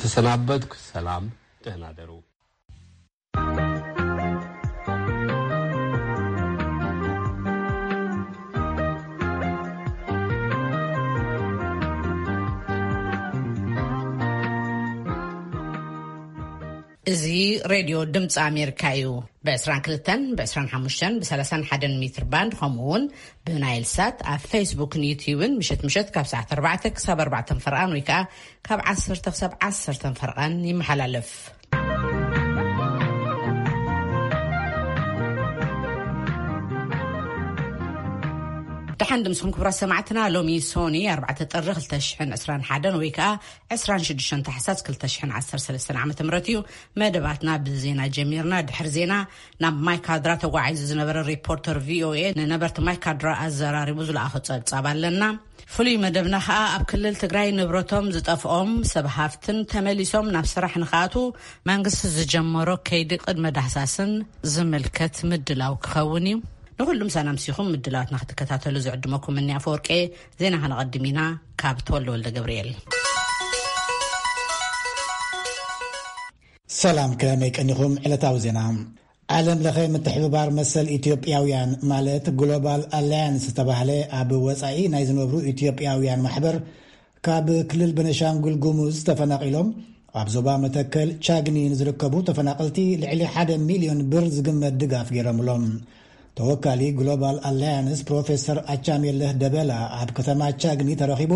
ተሰናበትኩ። ሰላም፣ ደህና ደሩ። እዚ ሬድዮ ድምፂ ኣሜሪካ እዩ። ብ22፣ ብ25፣ ብ31 ሜትር ባንድ፣ ከምኡ እውን ብናይል ሳት ኣብ ፌስቡክን ዩትዩብን ምሸት ምሸት ካብ ሰዓት ኣርባዕተ ክሳብ ኣርባዕተን ፈርቓን፣ ወይ ከዓ ካብ ዓሰርተ ክሳብ ዓሰርተን ፈርቓን ይመሓላለፍ። ደሓን ድምስኹም ክቡራት ሰማዕትና። ሎሚ ሶኒ ኣርባዕተ ጥሪ ክልተ ሽሕን ዕስራን ሓደን ወይ ከዓ ዕስራን ሽዱሽተን ታሕሳስ ክልተ ሽሕን ዓሰርተ ሰለስተን ዓመተ ምህረት እዩ። መደባትና ብዜና ጀሚርና። ድሕሪ ዜና ናብ ማይካድራ ተጓዒዙ ዝነበረ ሪፖርተር ቪኦኤ ንነበርቲ ማይካድራ ኣዘራሪቡ ዝለኣኾ ጸብጻብ ኣለና። ፍሉይ መደብና ኸኣ ኣብ ክልል ትግራይ ንብረቶም ዝጠፍኦም ሰብ ሃፍትን ተመሊሶም ናብ ስራሕ ንኽኣትዉ መንግስቲ ዝጀመሮ ከይዲ ቅድመ ዳህሳስን ዝምልከት ምድላው ክኸውን እዩ። ንኹሉ ምሳና ኣምሲኹም ምድላዋትና ክትከታተሉ ዝዕድመኩም እኒ ኣፈወርቄ። ዜና ከነቐድም ኢና ካብ ተወልደ ወልደ ገብርኤል። ሰላም፣ ከመይ ቀኒኹም? ዕለታዊ ዜና። ዓለም ለኸ ምትሕብባር መሰል ኢትዮጵያውያን ማለት ግሎባል ኣላያንስ ዝተባህለ ኣብ ወጻኢ ናይ ዝነብሩ ኢትዮጵያውያን ማሕበር፣ ካብ ክልል ቤኒሻንጉል ጉሙዝ ተፈናቒሎም ኣብ ዞባ መተከል ቻግኒ ንዝርከቡ ተፈናቐልቲ ልዕሊ ሓደ ሚልዮን ብር ዝግመት ድጋፍ ገይሮምሎም። ተወካሊ ግሎባል ኣላያንስ ፕሮፌሰር ኣቻሜለህ ደበላ ኣብ ከተማ ቻግኒ ተረኺቡ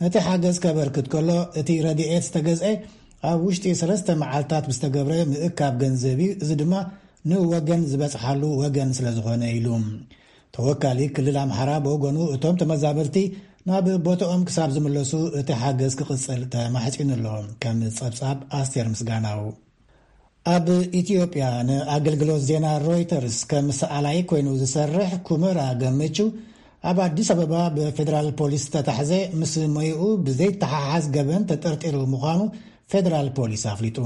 ነቲ ሓገዝ ከበርክት ከሎ፣ እቲ ረድኤት ዝተገዝአ ኣብ ውሽጢ ሰለስተ መዓልታት ብዝተገብረ ምእካብ ገንዘብ እዩ። እዚ ድማ ንወገን ዝበጽሓሉ ወገን ስለ ዝኾነ ኢሉ። ተወካሊ ክልል ኣምሓራ ብወገኑ፣ እቶም ተመዛበልቲ ናብ ቦታኦም ክሳብ ዝምለሱ እቲ ሓገዝ ክቕጽል ተማሕጺኑ ኣሎ። ከም ጸብጻብ ኣስቴር ምስጋናው። ኣብ ኢትዮጵያ ንኣገልግሎት ዜና ሮይተርስ ከም ሰኣላይ ኮይኑ ዝሰርሕ ኩመራ ገመቹ፣ ኣብ ኣዲስ ኣበባ ብፌደራል ፖሊስ ዝተታሕዘ፣ ምስ ሞይኡ ብዘይተሓሓዝ ገበን ተጠርጢሩ ምዃኑ ፌደራል ፖሊስ ኣፍሊጡ።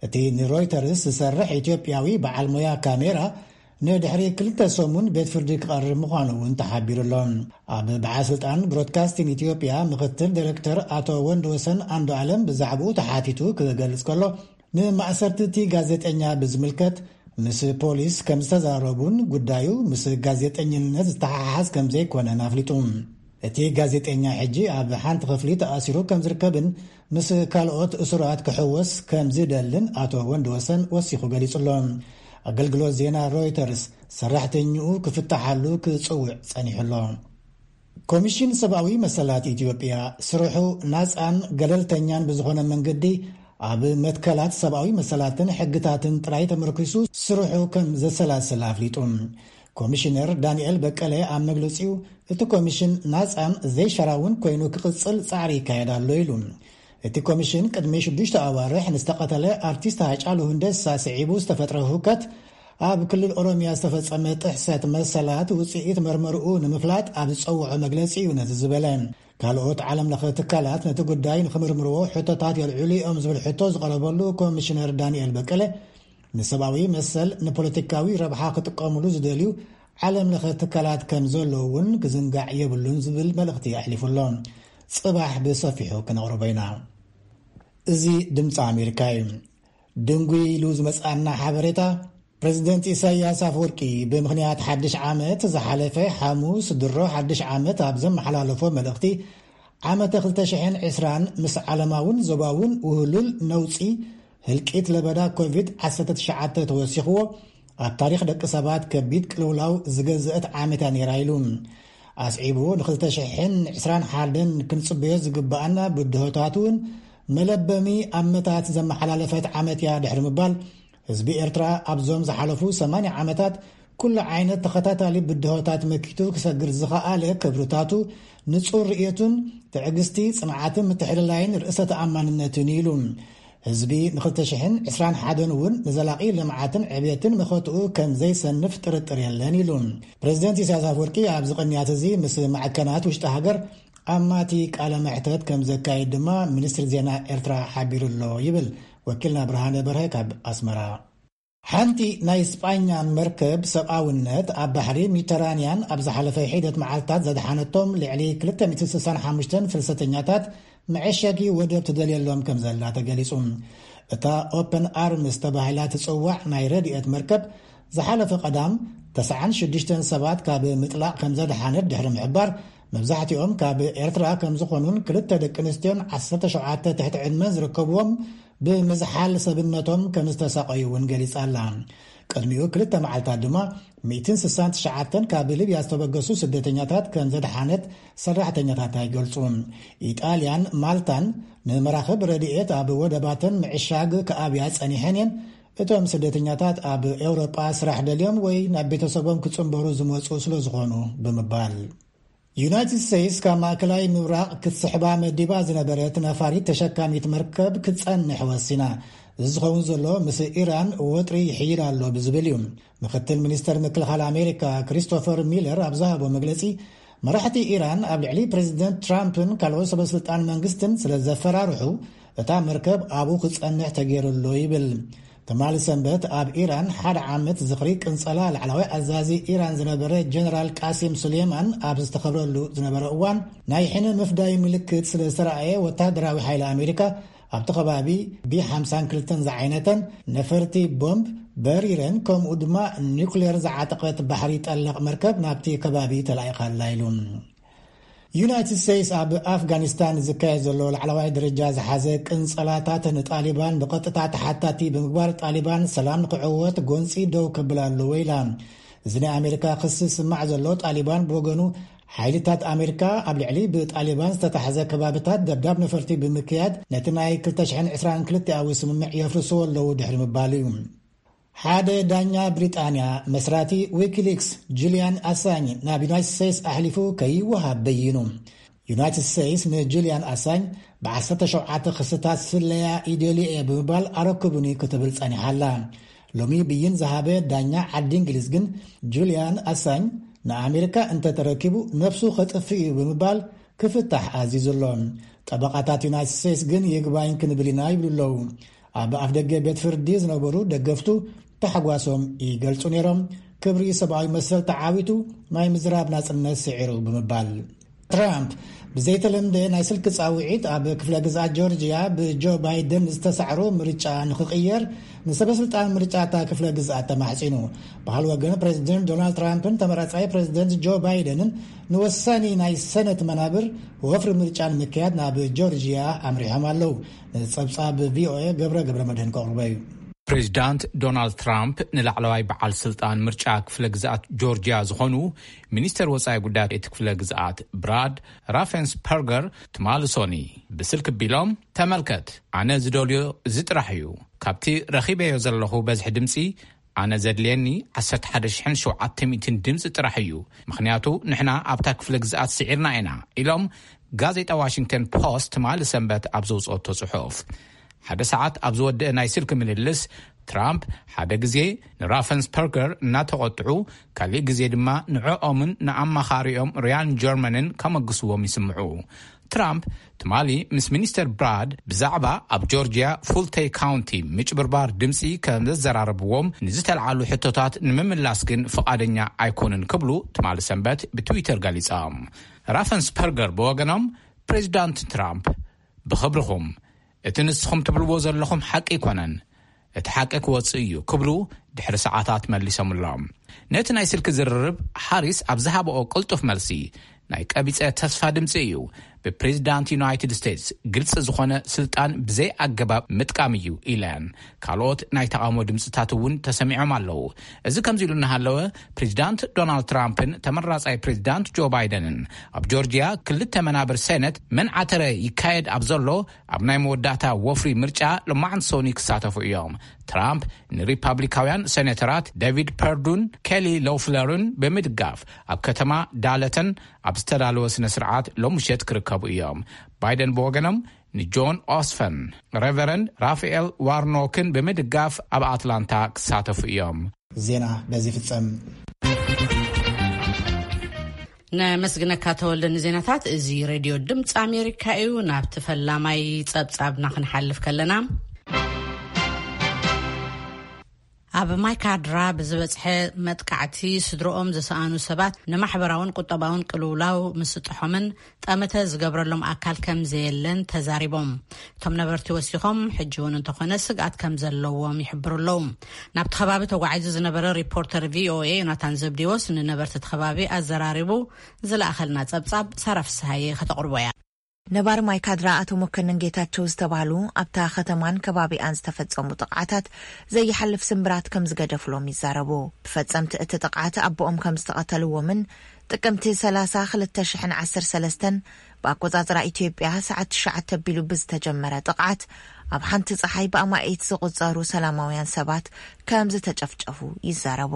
እቲ ንሮይተርስ ዝሰርሕ ኢትዮጵያዊ በዓል ሞያ ካሜራ፣ ንድሕሪ ክልተ ሰሙን ቤት ፍርዲ ክቐርብ ምዃኑ እውን ተሓቢሩ ኣሎ። ኣብ በዓል ስልጣን ብሮድካስቲንግ ኢትዮጵያ ምክትል ዳይሬክተር ኣቶ ወንድወሰን ኣንዱዓለም ብዛዕባኡ ተሓቲቱ ክገልጽ ከሎ፣ ንማእሰርቲ እቲ ጋዜጠኛ ብዝምልከት ምስ ፖሊስ ከም ዝተዛረቡን ጉዳዩ ምስ ጋዜጠኝነት ዝተሓሓዝ ከም ዘይኮነን ኣፍሊጡ። እቲ ጋዜጠኛ ሕጂ ኣብ ሓንቲ ክፍሊ ተኣሲሩ ከም ዝርከብን ምስ ካልኦት እሱራት ክሕወስ ከም ዝደልን ኣቶ ወንድወሰን ወሲኹ ገሊጹ ኣሎ። ኣገልግሎት ዜና ሮይተርስ ሰራሕተኛኡ ክፍታሓሉ ክጽውዕ ጸኒሑ ኣሎ። ኮሚሽን ሰብኣዊ መሰላት ኢትዮጵያ፣ ስርሑ ናጻን ገለልተኛን ብዝኾነ መንገዲ ኣብ መትከላት ሰብኣዊ መሰላትን ሕግታትን ጥራይ ተመርኪሱ ስርሑ ከም ዘሰላስል ኣፍሊጡ። ኮሚሽነር ዳንኤል በቀለ ኣብ መግለጺኡ፣ እቲ ኮሚሽን ናጻን ዘይሻራውን ኮይኑ ክቕጽል ጻዕሪ ይካየድ ኣሎ ኢሉ። እቲ ኮሚሽን ቅድሚ ሽዱሽተ ኣዋርሕ ንዝተቐተለ ኣርቲስት ሃጫሉ ሁንደሳ ስዒቡ ዝተፈጥረ ህውከት ኣብ ክልል ኦሮሚያ ዝተፈጸመ ጥሕሰት መሰላት ውጽኢት መርመርኡ ንምፍላጥ ኣብ ዝጸውዖ መግለጺ እዩ ነዚ ዝበለ። ካልኦት ዓለም ለኸ ትካላት ነቲ ጉዳይ ንኽምርምርዎ ሕቶታት የልዕሉ እዮም ዝብል ሕቶ ዝቐረበሉ ኮሚሽነር ዳንኤል በቀለ፣ ንሰብኣዊ መሰል ንፖለቲካዊ ረብሓ ክጥቀሙሉ ዝደልዩ ዓለም ለኸ ትካላት ከም ዘለዉ እውን ክዝንጋዕ የብሉን ዝብል መልእኽቲ ኣሕሊፉ ኣሎ። ጽባሕ ብሰፊሑ ክነቕርቦ ኢና። እዚ ድምፂ ኣሜሪካ እዩ። ድንጉይ ኢሉ ዝመጽኣና ሓበሬታ፣ ፕሬዚደንት ኢሳያስ ኣፈወርቂ ብምኽንያት ሓድሽ ዓመት ዝሓለፈ ሓሙስ ድሮ ሓድሽ ዓመት ኣብ ዘመሓላለፎ መልእኽቲ፣ ዓመተ ክልተ ሽሕን ዕስራን ምስ ዓለማውን ዞባውን ውህሉል ነውጺ፣ ህልቂት ለበዳ ኮቪድ ዓሰርተ ትሽዓተ ተወሲኽዎ፣ ኣብ ታሪኽ ደቂ ሰባት ከቢድ ቅልውላው ዝገዘአት ዓመት እያ ነይራ ኢሉ። ኣስዒቡ፣ ንክልተ ሽሕን ዕስራን ሓደን ክንጽበዮ ዝግብኣና ብድሆታት እውን መለበሚ ኣመታት ዘመሓላለፈት ዓመት እያ ድሕሪ ምባል፣ ህዝቢ ኤርትራ ኣብዞም ዝሓለፉ ሰማንያ ዓመታት ኩሉ ዓይነት ተኸታታሊ ብድሆታት መኪቱ ክሰግር ዝኸኣለ ክብርታቱ፣ ንጹር ርእየቱን ትዕግስቲ፣ ጽንዓትን ምትሕልላይን ርእሰ ተኣማንነትን እዩ ኢሉ። ህዝቢ ንክልተ ሽሕን ዕስራን ሓደን እውን ንዘላቒ ልምዓትን ዕብየትን መኸትኡ ከም ዘይሰንፍ ጥርጥር የለን ኢሉ። ፕሬዚደንት ኢሳያስ ኣፈወርቂ ኣብዚ ቅንያት እዚ ምስ ማዕከናት ውሽጢ ሃገር ኣማቲ ቃለ መሕተት ከም ዘካይድ ድማ ሚኒስትሪ ዜና ኤርትራ ሓቢሩ ኣሎ ይብል ወኪልና ብርሃነ በርሀ ካብ ኣስመራ። ሓንቲ ናይ ስጳኛ መርከብ ሰብኣውነት ኣብ ባሕሪ ሜዲተራንያን ኣብ ዝሓለፈ ሒደት መዓልታት ዘድሓነቶም ልዕሊ ክልተ ሚእቲ ስሳን ሓሙሽተን ፍልሰተኛታት መዐሸጊ ወደብ ትደልየሎም ከም ዘላ ተገሊጹ። እታ ኦፐን ኣርምስ ተባሂላ ትጽዋዕ ናይ ረድኤት መርከብ ዝሓለፈ ቀዳም ተስዓን ሽዱሽተን ሰባት ካብ ምጥላቕ ከም ዘድሓነት ድሕሪ ምሕባር፣ መብዛሕትኦም ካብ ኤርትራ ከም ዝኾኑን ክልተ ደቂ ኣንስትዮን ዓሰርተ ሸውዓተ ትሕቲ ዕድመን ዝርከብዎም ብምዝሓል ሰብነቶም ከም ዝተሳቐዩ እውን ገሊጻ ኣላ። ቅድሚኡ ክልተ መዓልታት ድማ ሚእትን ስሳን ትሽዓተን ካብ ሊብያ ዝተበገሱ ስደተኛታት ከም ዘድሓነት ሰራሕተኛታት ኣይገልጹ። ኢጣልያን ማልታን ንመራኽብ ረድኤት ኣብ ወደባተን ምዕሻግ ክኣብያ ጸኒሐን እየን። እቶም ስደተኛታት ኣብ ኤውሮጳ ስራሕ ደልዮም ወይ ናብ ቤተሰቦም ክጽንበሩ ዝመጹ ስለ ዝኾኑ ብምባል። ዩናይትድ ስቴትስ ካብ ማእከላይ ምብራቕ ክትስሕባ መዲባ ዝነበረት ነፋሪት ተሸካሚት መርከብ ክትጸንሕ ወሲና። እዚ ዝኸውን ዘሎ ምስ ኢራን ወጥሪ ይሕይል ኣሎ ብዝብል እዩ። ምክትል ሚኒስተር ምክልኻል ኣሜሪካ ክሪስቶፈር ሚለር ኣብ ዝሃቦ መግለጺ፣ መራሕቲ ኢራን ኣብ ልዕሊ ፕሬዚደንት ትራምፕን ካልኦት ሰበስልጣን መንግስትን ስለ ዘፈራርሑ፣ እታ መርከብ ኣብኡ ክጸንሕ ተገይሩ ኣሎ ይብል። ትማሊ ሰንበት ኣብ ኢራን ሓደ ዓመት ዝኽሪ ቅንጸላ ላዕለዋይ ኣዛዚ ኢራን ዝነበረ ጀነራል ቃሲም ሱሌማን ኣብ ዝተኸብረሉ ዝነበረ እዋን፣ ናይ ሕነ ምፍዳይ ምልክት ስለ ዝተረኣየ፣ ወታደራዊ ሓይሊ ኣሜሪካ ኣብቲ ከባቢ ቢ ሓምሳን ክልተን ዝዓይነተን ነፈርቲ ቦምብ በሪረን፣ ከምኡ ድማ ኒውክሌር ዝዓጠቐት ባሕሪ ጠለቕ መርከብ ናብቲ ከባቢ ተላኢኻ ኣላ ኢሉ። ዩናይትድ ስቴትስ ኣብ ኣፍጋኒስታን ዝካየድ ዘሎ ላዕለዋይ ደረጃ ዝሓዘ ቅንጸላታት ንጣሊባን ብቐጥታ ተሓታቲ ብምግባር፣ ጣሊባን ሰላም ንክዕወት ጎንጺ ደው ከብል ኣለዎ ኢላ። እዚ ናይ ኣሜሪካ ክሲ ዝስማዕ ዘሎ፣ ጣሊባን ብወገኑ ሓይልታት ኣሜሪካ ኣብ ልዕሊ ብጣሊባን ዝተታሕዘ ከባብታት ደብዳብ ነፈርቲ ብምክያድ ነቲ ናይ ክልተ ሽሕን ዕስራን ክልተኣዊ ስምምዕ የፍርስዎ ኣለዉ ድሕሪ ምባሉ እዩ። ሓደ ዳኛ ብሪጣንያ፣ መስራቲ ዊኪሊክስ ጁልያን ኣሳኝ ናብ ዩናይትድ ስቴትስ ኣሕሊፉ ከይወሃብ በይኑ። ዩናይትድ ስቴትስ ንጁልያን ኣሳኝ ብዓሰርተ ሸውዓተ ክስታት ስለያ ይደልዮ እየ ብምባል ኣረክቡኒ ክትብል ጸኒሓ ኣላ። ሎሚ ብይን ዝሃበ ዳኛ ዓዲ እንግሊዝ ግን፣ ጁልያን ኣሳኝ ንኣሜሪካ እንተተረኪቡ ነብሱ ከጥፍእ እዩ ብምባል ክፍታሕ ኣዚዙ ኣሎ። ጠበቓታት ዩናይትድ ስቴትስ ግን ይግባኝ ክንብል ኢና ይብሉ ኣለዉ። ኣብ ኣፍደገ ቤት ፍርዲ ዝነበሩ ደገፍቱ ታሕጓሶም ይገልጹ ነይሮም። ክብሪ ሰብኣዊ መሰል ተዓዊቱ፣ ናይ ምዝራብ ናጽነት ስዒሩ ብምባል። ትራምፕ ብዘይተለምደ ናይ ስልኪ ጻውዒት ኣብ ክፍለ ግዝኣት ጆርጅያ ብጆ ባይደን ዝተሳዕሮ ምርጫ ንኽቕየር ንሰበ ስልጣን ምርጫ እታ ክፍለ ግዝኣት ተማሕጺኑ። ባህል ወገን ፕሬዚደንት ዶናልድ ትራምፕን ተመራጻይ ፕሬዚደንት ጆ ባይደንን ንወሳኒ ናይ ሰነት መናብር ወፍሪ ምርጫ ንምክያድ ናብ ጆርጅያ ኣምሪሖም ኣለዉ። ንጸብጻብ ቪኦኤ ገብረ ገብረ መድህን ከቕርቦ እዩ። ፕሬዚዳንት ዶናልድ ትራምፕ ንላዕለዋይ በዓል ስልጣን ምርጫ ክፍለ ግዝኣት ጆርጅያ ዝኾኑ ሚኒስተር ወጻኢ ጉዳያት እቲ ክፍለ ግዝኣት ብራድ ራፈንስፐርገር ትማሊ ሶኒ ብስልክ ቢሎም፣ "ተመልከት፣ ኣነ ዝደልዮ እዚ ጥራሕ እዩ። ካብቲ ረኺበዮ ዘለኹ በዝሒ ድምጺ፣ ኣነ ዘድልየኒ ዓሰርተ ሓደ ሽሕን ሸውዓተ ሚእትን ድምጺ ጥራሕ እዩ። ምኽንያቱ ንሕና ኣብታ ክፍለ ግዝኣት ስዒርና ኢና" ኢሎም ጋዜጣ ዋሽንግተን ፖስት ትማሊ ሰንበት ኣብ ዘውጽኦቶ ጽሑፍ። ሓደ ሰዓት ኣብ ዝወደአ ናይ ስልኪ ምልልስ፣ ትራምፕ ሓደ ግዜ ንራፈንስፐርገር እናተቖጥዑ፣ ካሊእ ግዜ ድማ ንዕኦምን ንኣማኻሪኦም ሪያን ጀርመንን ከመግስዎም ይስምዑ። ትራምፕ ትማሊ ምስ ሚኒስተር ብራድ ብዛዕባ ኣብ ጆርጅያ ፉልተይ ካውንቲ ምጭብርባር ድምፂ ከም ዘዘራረብዎም ንዝተልዓሉ ሕቶታት ንምምላስ ግን ፍቓደኛ ኣይኮኑን ክብሉ ትማሊ ሰንበት ብትዊተር ገሊጾም። ራፈንስፐርገር ብወገኖም፣ ፕሬዚዳንት ትራምፕ፣ "ብኽብርኹም፣ እቲ ንስኹም ትብልዎ ዘለኹም ሓቂ ኣይኮነን። እቲ ሓቂ ክወጽእ እዩ" ክብሉ ድሕሪ ሰዓታት መሊሶምሎም። ነቲ ናይ ስልኪ ዝርርብ ሃሪስ ኣብ ዝሃበኦ ቅልጡፍ መልሲ፣ "ናይ ቀቢጸ ተስፋ ድምጺ እዩ። ብፕሬዚዳንት ዩናይትድ ስቴትስ ግልጺ ዝኾነ ስልጣን ብዘይ ኣገባብ ምጥቃም እዩ" ኢለን። ካልኦት ናይ ተቓውሞ ድምጽታት እውን ተሰሚዖም ኣለዉ። እዚ ከምዚ ኢሉ እናሃለወ፣ ፕሬዚዳንት ዶናልድ ትራምፕን ተመራጻይ ፕሬዚዳንት ጆ ባይደንን ኣብ ጆርጅያ ክልተ መናብር ሴነት መን ዓተረ ይካየድ ኣብ ዘሎ ኣብ ናይ መወዳእታ ወፍሪ ምርጫ ሎማዕንቲ ሶኒ ክሳተፉ እዮም። ትራምፕ ንሪፓብሊካውያን ሴኔተራት ዴቪድ ፐርዱን ኬሊ ሎፍለርን ብምድጋፍ ኣብ ከተማ ዳለተን ኣብ ዝተዳለወ ስነ ስርዓት ሎም ምሸት ክርከቡ እዮም። ባይደን ብወገኖም ንጆን ኦስፈን፣ ሬቨረንድ ራፋኤል ዋርኖክን ብምድጋፍ ኣብ ኣትላንታ ክሳተፉ እዮም። ዜና በዚ ፍጸም። ነመስግነካ ተወልደ ንዜናታት። እዚ ሬድዮ ድምፂ ኣሜሪካ እዩ። ናብቲ ፈላማይ ጸብጻብና ክንሓልፍ ከለና፣ ኣብ ማይካድራ ብዝበጽሐ መጥቃዕቲ ስድሮኦም ዝሰኣኑ ሰባት ንማሕበራውን ቁጠባውን ቅልውላው ምስጥሖምን ጠመተ ዝገብረሎም ኣካል ከም ዘየለን ተዛሪቦም። እቶም ነበርቲ ወሲኾም፣ ሕጂ እውን እንተኾነ ስግኣት ከም ዘለዎም ይሕብሩ ኣለዉ። ናብቲ ከባቢ ተጓዒዙ ዝነበረ ሪፖርተር ቪ ኦ ኤ ዮናታን ዘብዲዎስ ንነበርቲ እቲ ከባቢ ኣዘራሪቡ ዝለኣኸልና ጸብጻብ ሳራ ፍስሃየ ከተቕርቦ እያ። ነባሪ ማይካድራ ኣቶ መኮንን ጌታቸው ዝተባህሉ ኣብታ ከተማን ከባቢኣን ዝተፈጸሙ ጥቕዓታት ዘይሓልፍ ስምብራት ከም ዝገደፍሎም ይዛረቡ። ብፈጸምቲ እቲ ጥቕዓት ኣቦኦም ከም ዝተቐተልዎምን ጥቅምቲ ሰላሳ ክልተ ሽሕን ዓሰርተ ሰለስተን ብኣቆጻጽራ ኢትዮጵያ ሰዓት ትሽዓተ ኣቢሉ ብዝተጀመረ ጥቕዓት ኣብ ሓንቲ ጸሓይ ብኣማኢት ዝቑጸሩ ሰላማውያን ሰባት ከም ዝተጨፍጨፉ ይዛረቡ።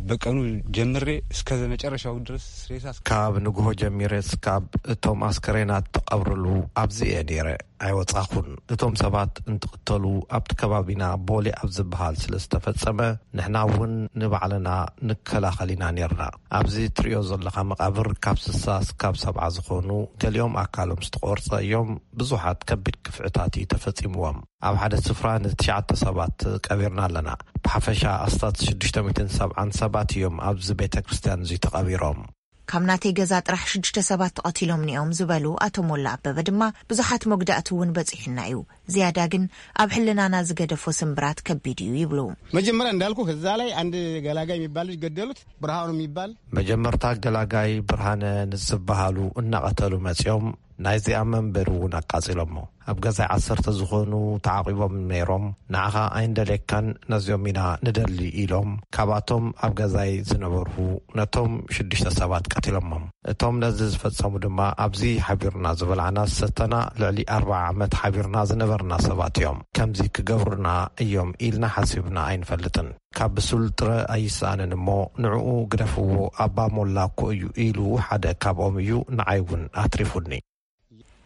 በቀኑ ጀምሬ እስከ መጨረሻው ድረስ ሬሳ ካብ ንግሆ ጀሚረ እስካብ እቶም ኣስከሬናት ተቐብርሉ ኣብዚ እየ ነይረ፣ ኣይወጻኹን። እቶም ሰባት እንትቕተሉ ኣብቲ ከባቢና ቦሌ ኣብ ዝበሃል ስለ ዝተፈጸመ፣ ንሕና እውን ንባዕልና ንከላኸል ኢና ነይርና። ኣብዚ ትርእዮ ዘለኻ መቓብር ካብ ስሳ እስካብ ሰብዓ ዝኾኑ፣ ገሊኦም ኣካሎም ዝተቖርጸ እዮም። ብዙሓት ከቢድ ክፍዕታት እዩ ተፈጺምዎም። ኣብ ሓደ ስፍራ ንትሽዓተ ሰባት ቀቢርና ኣለና። ብሓፈሻ ኣስታት ሽዱሽተ ሚእትን ሰብዓን ሰባት እዮም ኣብዚ ቤተ ክርስቲያን እዚ ተቐቢሮም። ካብ ናተይ ገዛ ጥራሕ ሽዱሽተ ሰባት ተቐቲሎም ኒኦም ዝበሉ ኣቶ ሞላ ኣበበ ድማ፣ ብዙሓት መጉዳእቲ እውን በጺሑና እዩ። ዝያዳ ግን ኣብ ሕልናና ዝገደፎ ስምብራት ከቢድ እዩ ይብሉ። መጀመሪያ እንዳልኩ እዛ ላይ አንድ ገላጋይ የሚባል ልጅ ገደሉት። ብርሃኑ የሚባል መጀመርታ ገላጋይ ብርሃነ ንዝበሃሉ እናቐተሉ መጺኦም ናይዚኣ መንበሪ እውን ኣቃጺሎሞ። ኣብ ገዛይ ዓሰርተ ዝኾኑ ተዓቒቦም ነይሮም። ንዓኻ ኣይንደልየካን፣ ነዚኦም ኢና ንደሊ ኢሎም፣ ካብኣቶም ኣብ ገዛይ ዝነበርሁ ነቶም ሽዱሽተ ሰባት ቀቲሎሞም። እቶም ነዚ ዝፈጸሙ ድማ ኣብዚ ሓቢርና ዝበላዕና ዝሰተና ልዕሊ ኣርብዓ ዓመት ሓቢርና ዝነበርና ሰባት እዮም። ከምዚ ክገብሩና እዮም ኢልና ሓሲብና ኣይንፈልጥን። ካብ ብሱል ጥረ ኣይሰኣንን እሞ ንዕኡ ግደፍዎ፣ ኣባ ሞላ እኮ እዩ ኢሉ ሓደ ካብኦም እዩ ንዓይ እውን ኣትሪፉኒ።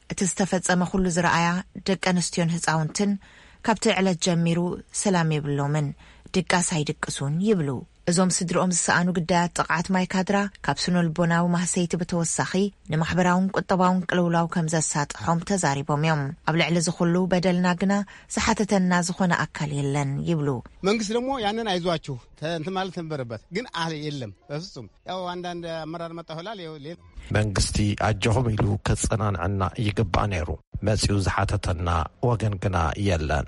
እቲ ዝተፈጸመ ኩሉ ዝረኣያ ደቂ ኣንስትዮን ህጻውንትን ካብቲ ዕለት ጀሚሩ ሰላም የብሎምን፣ ድቃስ ኣይድቅሱን ይብሉ። እዞም ስድርኦም ዝሰኣኑ ግዳያት ጥቕዓት ማይ ካድራ ካብ ስነ-ልቦናዊ ማህሰይቲ ብተወሳኺ ንማሕበራውን ቁጠባውን ቅልውላው ከም ዘሳጥሖም ተዛሪቦም እዮም። ኣብ ልዕሊ እዚ ኩሉ በደልና ግና ዝሓተተና ዝኾነ ኣካል የለን ይብሉ። መንግስት ደግሞ ያንን አይዟችሁ ተ-፣ እንትን ማለት ነበረበት፣ ግን አለ የለም በፍጹም። ያው አንዳንድ አመራር መጣ ይሆናል። ያው ሌ- መንግስቲ ኣጆኹም ኢሉ ከጸናንዐና ይግባእ ነይሩ። መጺኡ ዝሓተተና ወገን ግና የለን።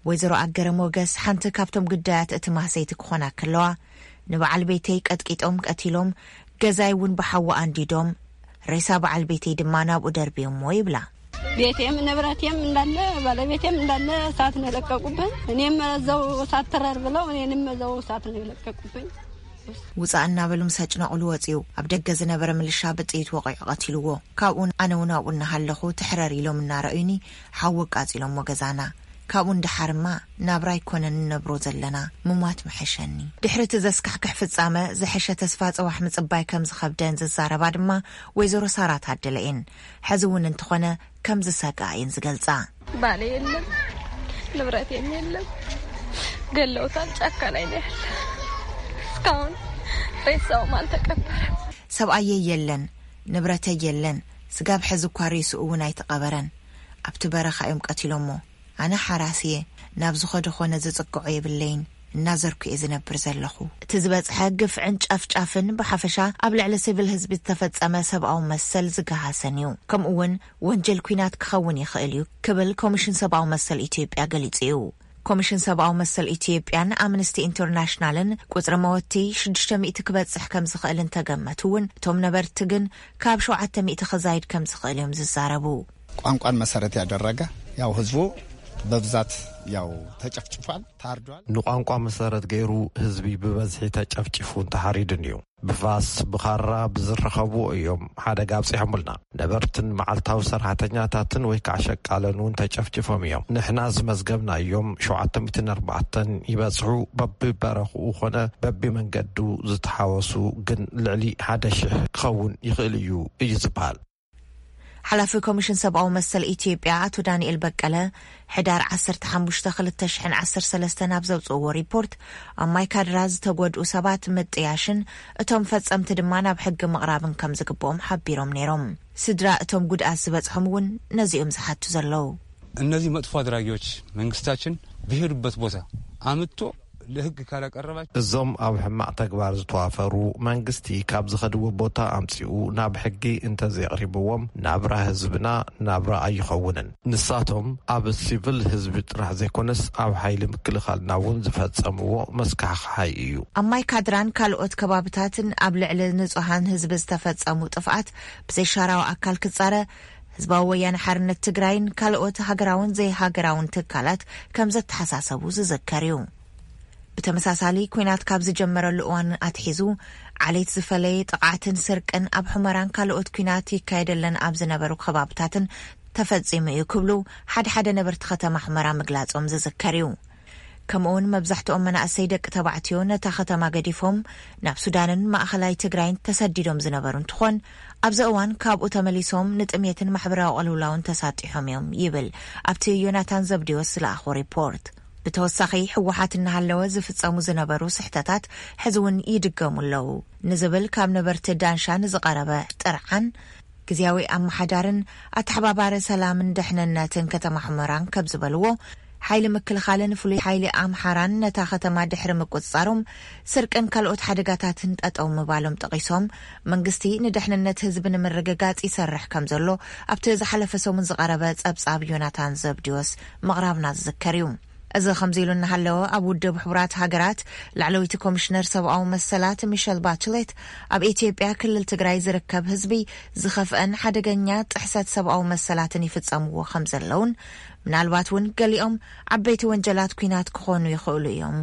ወይዘሮ ኣገረ ሞገስ ሓንቲ ካብቶም ግዳያት እቲ ማህሰይቲ ክኾና ከለዋ፣ ንበዓል ቤተይ ቀጥቂጦም ቀቲሎም፣ ገዛይ እውን ብሓዊ ኣንዲዶም፣ ሬሳ በዓል ቤተይ ድማ ናብኡ ደርብዮሞ ይብላ። ቤቴም ንብረቴም እንዳለ፣ ባለቤቴም እንዳለ እሳት ነው የለቀቁብን። እኔም እዛው እሳት ትረር ብለው እኔንም እዛው እሳት ነው የለቀቁብኝ። ውፃእ እናበሉ ምስ ኣጭነቑሉ ወፂኡ፣ ኣብ ደገ ዝነበረ ምልሻ ብጥይት ወቒዑ ቀቲልዎ። ካብኡን ኣነ እውን ኣብኡ እናሃለኹ ትሕረር ኢሎም እናረእዩኒ ሓዊ ኣቃፂሎሞ ገዛና። ካብኡ ንደሓርማ ናብራ ኣይኮነን ንነብሮ ዘለና፣ ምሟት ምሐሸኒ። ድሕሪ እቲ ዘስካሕክሕ ፍጻመ ዝሐሸ ተስፋ ጽባሕ ምጽባይ ከም ዝኸብደን ዝዛረባ ድማ ወይዘሮ ሳራ ታደለ እየን። ሕዚ እውን እንተኾነ ከም ዝሰግኣ እየን ዝገልጻ። ባሌ የለን፣ ንብረቴም የለን፣ ገለውታል። ጫካ ላይ ነው ያለ። እስካሁን ሬሳውም አልተቀበረም። ሰብኣየይ የለን፣ ንብረተይ የለን፣ ስጋብ ሕዚ እኳ ሬስኡ እውን ኣይተቐበረን። ኣብቲ በረኻ እዮም ቀቲሎሞ። ኣነ ሓራስ እየ፣ ናብ ዝኸደ ኾነ ዝጽግዖ የብለይን፣ እናዘርኩ እየ ዝነብር ዘለኹ። እቲ ዝበጽሐ ግፍዕን ጨፍጫፍን ብሓፈሻ ኣብ ልዕሊ ሲቪል ህዝቢ ዝተፈጸመ ሰብኣዊ መሰል ዝገሃሰን እዩ። ከምኡ እውን ወንጀል ኲናት ክኸውን ይኽእል እዩ ክብል ኮሚሽን ሰብኣዊ መሰል ኢትዮጵያ ገሊጹ እዩ። ኮሚሽን ሰብኣዊ መሰል ኢትዮጵያን ኣምነስቲ ኢንተርናሽናልን ቁጽሪ መወቲ ሽዱሽተ ሚእቲ ክበጽሕ ከም ዝኽእል እንተገመቱ እውን፣ እቶም ነበርቲ ግን ካብ ሸውዓተ ሚእቲ ክዛይድ ከም ዝኽእል እዮም ዝዛረቡ። ቋንቋን መሰረት ያደረገ ያው ህዝቡ በብዛት ያው ተጨፍጭፏል፣ ታርዷል። ንቋንቋ መሰረት ገይሩ ህዝቢ ብበዝሒ ተጨፍጭፉን ተሓሪዱን እዩ። ብፋስ፣ ብኻራ ብዝረኸብዎ እዮም ሓደጋ ኣብጺሖምልና። ነበርትን መዓልታዊ ሰራሕተኛታትን ወይ ከዓ ሸቃለን እውን ተጨፍጭፎም እዮም። ንሕና ዝመዝገብናዮም ሸውዓተ ሚእትን ኣርባዕተን ይበጽሑ። በብበረኽኡ ኾነ በብመንገዱ ዝተሓወሱ ግን ልዕሊ ሓደ ሽሕ ክኸውን ይኽእል እዩ እዩ ዝበሃል። ሓላፊ ኮሚሽን ሰብኣዊ መሰል ኢትዮጵያ ኣቶ ዳንኤል በቀለ፣ ሕዳር ዓሰርተ ሓሙሽተ ክልተ ሽሕን ዓሰርተ ሰለስተን ኣብ ዘውፅእዎ ሪፖርት፣ ኣብ ማይ ካድራ ዝተጎድኡ ሰባት ምጥያሽን እቶም ፈፀምቲ ድማ ናብ ሕጊ ምቕራብን ከም ዝግብኦም ሓቢሮም ነይሮም። ስድራ እቶም ጉድኣት ዝበፅሖም እውን ነዚኦም ዝሓቱ ዘለዉ። እነዚህ መጥፎ አድራጊዎች መንግስታችን በሄዱበት ቦታ አምጥቶ ለህግ ካላቀረባች እዞም ኣብ ሕማቕ ተግባር ዝተዋፈሩ መንግስቲ ካብ ዝኸድዎ ቦታ ኣምጺኡ ናብ ሕጊ እንተዘየቕሪብዎም ናብራ ህዝብና ናብራ ኣይኸውንን። ንሳቶም ኣብ ሲቪል ህዝቢ ጥራሕ ዘይኮነስ ኣብ ሓይሊ ምክልኻልና እውን ዝፈጸምዎ መስካሕክሓይ እዩ። ኣብ ማይካድራን ካልኦት ከባብታትን ኣብ ልዕሊ ንጹሃን ህዝቢ ዝተፈጸሙ ጥፍኣት ብዘይሻራዊ ኣካል ክጻረ ህዝባዊ ወያነ ሓርነት ትግራይን ካልኦት ሃገራውን ዘይሃገራውን ትካላት ከም ዘተሓሳሰቡ ዝዝከር እዩ። ብተመሳሳሊ፣ ኲናት ካብ ዝጀመረሉ እዋን ኣትሒዙ ዓሌት ዝፈለየ ጥቕዓትን ስርቅን ኣብ ሑመራን ካልኦት ኲናት ይካየደለን ኣብ ዝነበሩ ከባብታትን ተፈጺሙ እዩ ክብሉ ሓደ ሓደ ነበርቲ ከተማ ሑመራ ምግላጾም ዝዝከር እዩ። ከምኡውን መብዛሕትኦም መናእሰይ ደቂ ተባዕትዮ ነታ ከተማ ገዲፎም ናብ ሱዳንን ማእኸላይ ትግራይን ተሰዲዶም ዝነበሩ እንትኾን፣ ኣብዚ እዋን ካብኡ ተመሊሶም ንጥሜትን ማሕበራዊ ቅልውላውን ተሳጢሖም እዮም ይብል ኣብቲ ዮናታን ዘብዴዎስ ዝለኣኾ ሪፖርት። ብተወሳኺ፣ ህወሓት እናሃለወ ዝፍጸሙ ዝነበሩ ስሕተታት ሕዚ እውን ይድገሙ ኣለዉ ንዝብል ካብ ነበርቲ ዳንሻ ንዝቐረበ ጥርዓን፣ ግዝያዊ ኣመሓዳርን ኣተሓባባሪ ሰላምን ድሕንነትን ከተማ ሑመራን ከም ዝበልዎ፣ ሓይሊ ምክልኻልን ፍሉይ ሓይሊ ኣምሓራን ነታ ከተማ ድሕሪ ምቁጽጻሮም፣ ስርቅን ካልኦት ሓደጋታትን ጠጠው ምባሎም ጠቒሶም፣ መንግስቲ ንድሕንነት ህዝቢ ንምርግጋጽ ይሰርሕ ከም ዘሎ ኣብቲ ዝሓለፈ ሰሙን ዝቐረበ ጸብጻብ ዮናታን ዘብዲዎስ ምቕራብና ዝዝከር እዩ። እዚ ከምዚ ኢሉ እናሃለወ፣ ኣብ ውድብ ሕቡራት ሃገራት ላዕለወይቲ ኮሚሽነር ሰብኣዊ መሰላት ሚሸል ባችሌት፣ ኣብ ኢትዮጵያ ክልል ትግራይ ዝርከብ ህዝቢ ዝኸፍአን ሓደገኛ ጥሕሰት ሰብኣዊ መሰላትን ይፍጸምዎ ከም ዘለውን፣ ምናልባት እውን ገሊኦም ዓበይቲ ወንጀላት ኲናት ክኾኑ ይኽእሉ እዮም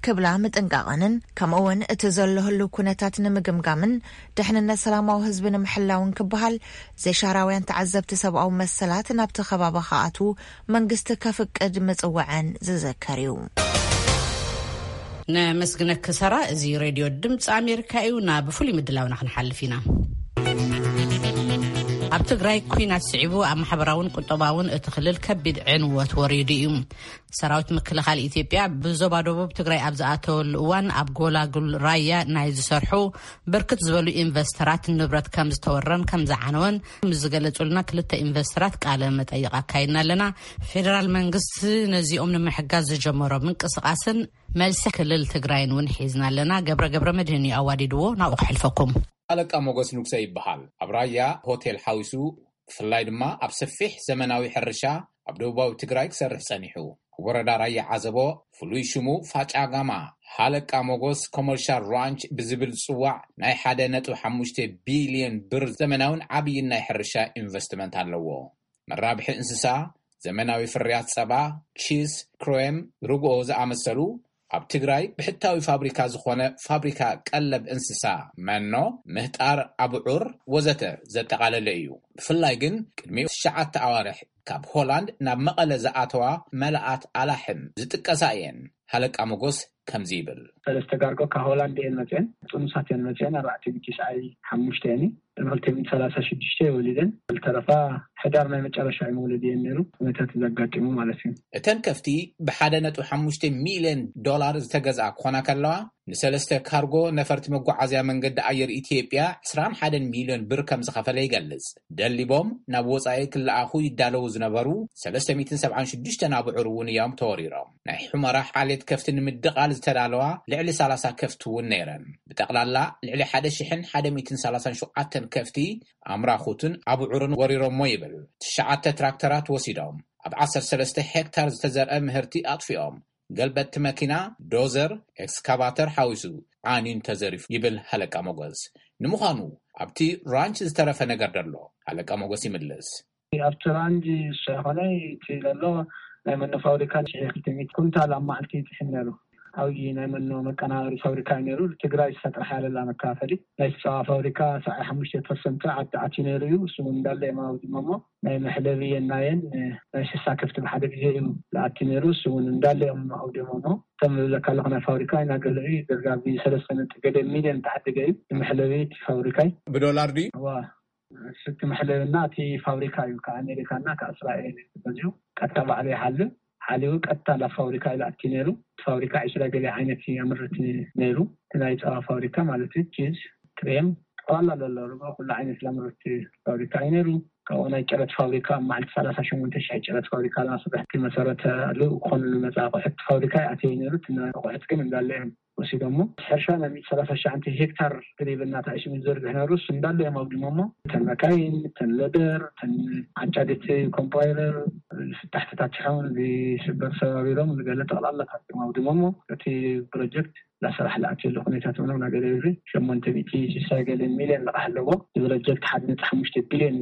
ክብላ ምጥንቃቐንን፣ ከምኡ እውን እቲ ዘሎ ህልው ኩነታት ንምግምጋምን ድሕንነት ሰላማዊ ህዝቢ ንምሕላውን ክበሃል፣ ዘይሻራውያን ተዓዘብቲ ሰብኣዊ መሰላት ናብቲ ከባቢ ክኣትዉ መንግስቲ ከፍቅድ ምጽውዐን ዝዝከር እዩ። ነመስግነኪ ሰራ። እዚ ሬድዮ ድምፂ ኣሜሪካ እዩ። ናብ ፍሉይ ምድላውና ክንሓልፍ ኢና። ኣብ ትግራይ ኲናት ስዒቡ ኣብ ማሕበራውን ቁጠባውን እቲ ክልል ከቢድ ዕንወት ወሪዱ እዩ። ሰራዊት ምክልኻል ኢትዮጵያ ብዞባ ደቡብ ትግራይ ኣብ ዝኣተወሉ እዋን፣ ኣብ ጎላጉል ራያ ናይ ዝሰርሑ ብርክት ዝበሉ ኢንቨስተራት ንብረት ከም ዝተወረን ከም ዝዓነወን ምስ ዝገለጹልና ክልተ ኢንቨስተራት ቃለ መጠይቕ ኣካይድና ኣለና። ፌደራል መንግስቲ ነዚኦም ንምሕጋዝ ዝጀመሮ ምንቅስቓስን መልሲ ክልል ትግራይን እውን ሒዝና ኣለና። ገብረ ገብረ መድህን እዩ ኣዋዲድዎ፣ ናብኡ ክሕልፈኩም። ኣለቃ ሞገስ ንጉሰ ይበሃል። ኣብ ራያ ሆቴል ሓዊሱ፣ ብፍላይ ድማ ኣብ ሰፊሕ ዘመናዊ ሕርሻ ኣብ ደቡባዊ ትግራይ ክሰርሕ ጸኒሑ። ኣብ ወረዳ ራያ ዓዘቦ፣ ፍሉይ ሽሙ ፋጫጋማ፣ ሃለቃ ሞጎስ ኮመርሻል ራንች ብዝብል ዝጽዋዕ ናይ ሓደ ነጥቢ ሓሙሽተ ቢልዮን ብር ዘመናውን ዓብይን ናይ ሕርሻ ኢንቨስትመንት ኣለዎ። መራብሒ እንስሳ፣ ዘመናዊ ፍርያት ጸባ፣ ቺስ፣ ክሬም፣ ርግኦ ዝኣመሰሉ፣ ኣብ ትግራይ ብሕታዊ ፋብሪካ ዝኾነ ፋብሪካ ቀለብ እንስሳ፣ መኖ፣ ምህጣር፣ ኣብዑር ወዘተ ዘጠቓለለ እዩ። ብፍላይ ግን ቅድሚ ትሽዓተ ኣዋርሕ ካብ ሆላንድ ናብ መቐለ ዝኣተዋ መላኣት ኣላሕም ዝጥቀሳ እየን። ሃለቃ ሞጎስ ከምዚ ይብል። ሰለስተ ጋርጎ ካብ ሆላንድ እየን መፅአን። ጥኑሳት እየን መፅአን። ኣርባዕተ ቢቲ ሰዓይ ሓሙሽተ እየን። ቅድሚ ክልተ ሚእቲ ሰላሳ ሽዱሽተ ወሊደን። ዝተረፋ ሕዳር ናይ መጨረሻ እዩ መውለድ እየን ነይሩ። ኩነታት ዘጋጢሙ ማለት እዩ። እተን ከፍቲ ብሓደ ነጥቢ ሓሙሽተ ሚልዮን ዶላር ዝተገዝኣ ክኾና ከለዋ፣ ንሰለስተ ካርጎ ነፈርቲ መጓዓዝያ መንገዲ ኣየር ኢትዮጵያ ዕስራን ሓደን ሚልዮን ብር ከም ዝኸፈለ ይገልጽ። ደሊቦም ናብ ወጻኢ ክለኣኹ ይዳለዉ ዝነበሩ ሰለስተ ሚእትን ሰብዓን ሽዱሽተን ኣብዑር እውን እዮም ተወሪሮም። ናይ ሑመራ ዓሌት ከፍቲ ንምድቓል ዝተዳለዋ ልዕሊ ሰላሳ ከፍቲ እውን ነይረን። ብጠቕላላ ልዕሊ ሓደ ሽሕን ሓደ ሚእትን ሰላሳን ሸውዓተን ከፍቲ፣ ኣምራኹትን ኣብዑርን ወሪሮሞ ይብል። ትሽዓተ ትራክተራት ወሲዶም፣ ኣብ ዓሰርተ ሰለስተ ሄክታር ዝተዘርአ ምህርቲ ኣጥፊኦም። ገልበጥቲ መኪና፣ ዶዘር፣ ኤክስካቫተር ሓዊሱ ዓንዩን ተዘሪፉ ይብል ሃለቃ ሞጎስ። ንምዃኑ ኣብቲ ራንች ዝተረፈ ነገር ደሎ? ሃለቃ ሞጎስ ይምልስ። ኣብቲ ራንች ዝኾነ እቲ ዘሎ ናይ መኖ ፋብሪካ ሽሕ ክልተ ሚእቲ ኩንታል ኣብ መዓልቲ ይጥሕን ነይሩ። ዓብዪ ናይ መኖ መቀናበሪ ፋብሪካ እዩ ነይሩ። ትግራይ ዝፈጥራ ሓለላ መከፋፈሊ ናይ ጸባ ፋብሪካ ሰብዓ ሓሙሽተ ፐርሰንት ዓዲ ኣትዩ ነይሩ እዩ። እሱ እውን እንዳለ እዮም ኣውዲሞሞ። ናይ መሕለቢ የናየን ናይ ስሳ ከፍቲ ብሓደ ግዜ እዩ ዝኣቲ ነይሩ። እሱ እውን እንዳለ እዮም ኣውዲሞሞ። ከም ዝብለካ ኣለኹ ናይ ፋብሪካ ኢና ገለ እዩ። ዳርጋ ብሰለስተ ነጥቢ ገለ ሚልዮን ተዓደገ እዩ መሕለቢ እቲ ፋብሪካ እዩ። ብዶላር ድዩ? እዋ፣ እቲ መሕለብና እቲ ፋብሪካ እዩ። ካብ ኣሜሪካና ካብ እስራኤል እዩ ተገዚኡ። ቀጥታ ባዕሉ ይሓልብ። ሓሊቡ ቀጥታ ናብ ፋብሪካ እዩ ዝኣቲ ነይሩ። እቲ ፋብሪካ ዕስራ ገለ ዓይነት እዩ የምርት ነይሩ። እቲ ናይ ጸባ ፋብሪካ ማለት እዩ። ቺዝ፣ ክሬም፣ ጠቕላላ ዘሎ ርግኦ ኩሉ ዓይነት ዘምርት ፋብሪካ እዩ ነይሩ። ናይ ጭረት ፋብሪካ ኣብ መዓልቲ ሰላሳ ሸሞንተ ሽሕ ጭረት ፋብሪካ ናስርሕ መሰረተ ልኡ ክኾኑ ንመፅእ ኣቑሑት ፋብሪካ ይኣተዩ ነይሩ። እቲ ኣቑሑት ግን እንዳለ እዮም ወሲዶሞ። ሕርሻ ናይ ሚእቲ ሰላሳ ሽሕ ሄክታር ግሪብ እናተኣሽሙ ዝዘርግሕ ነይሩ፣ እሱ እንዳለ እዮም ኣውዲሞሞ። እተን መካይን፣ እተን ሎደር፣ እተን ዓጫዲት ኮምፓይለር፣ ፍታሕ ተታቲሖም፣ እዚ ሽበር ሰባቢሮም፣ ዝገለ ጠቕላላ ታቲም ኣውዲሞሞ። እቲ ፕሮጀክት ላሰራሕ ለኣትየሉ ኩነታት ምንም ነገር የብሉ። ሸሞንተ ሚእቲ ሽሳ ገለ ሚልዮን ልቓሕ ኣለዎ። እዚ ፕሮጀክት ሓደ ነጥቢ ሓሙሽተ ቢልዮን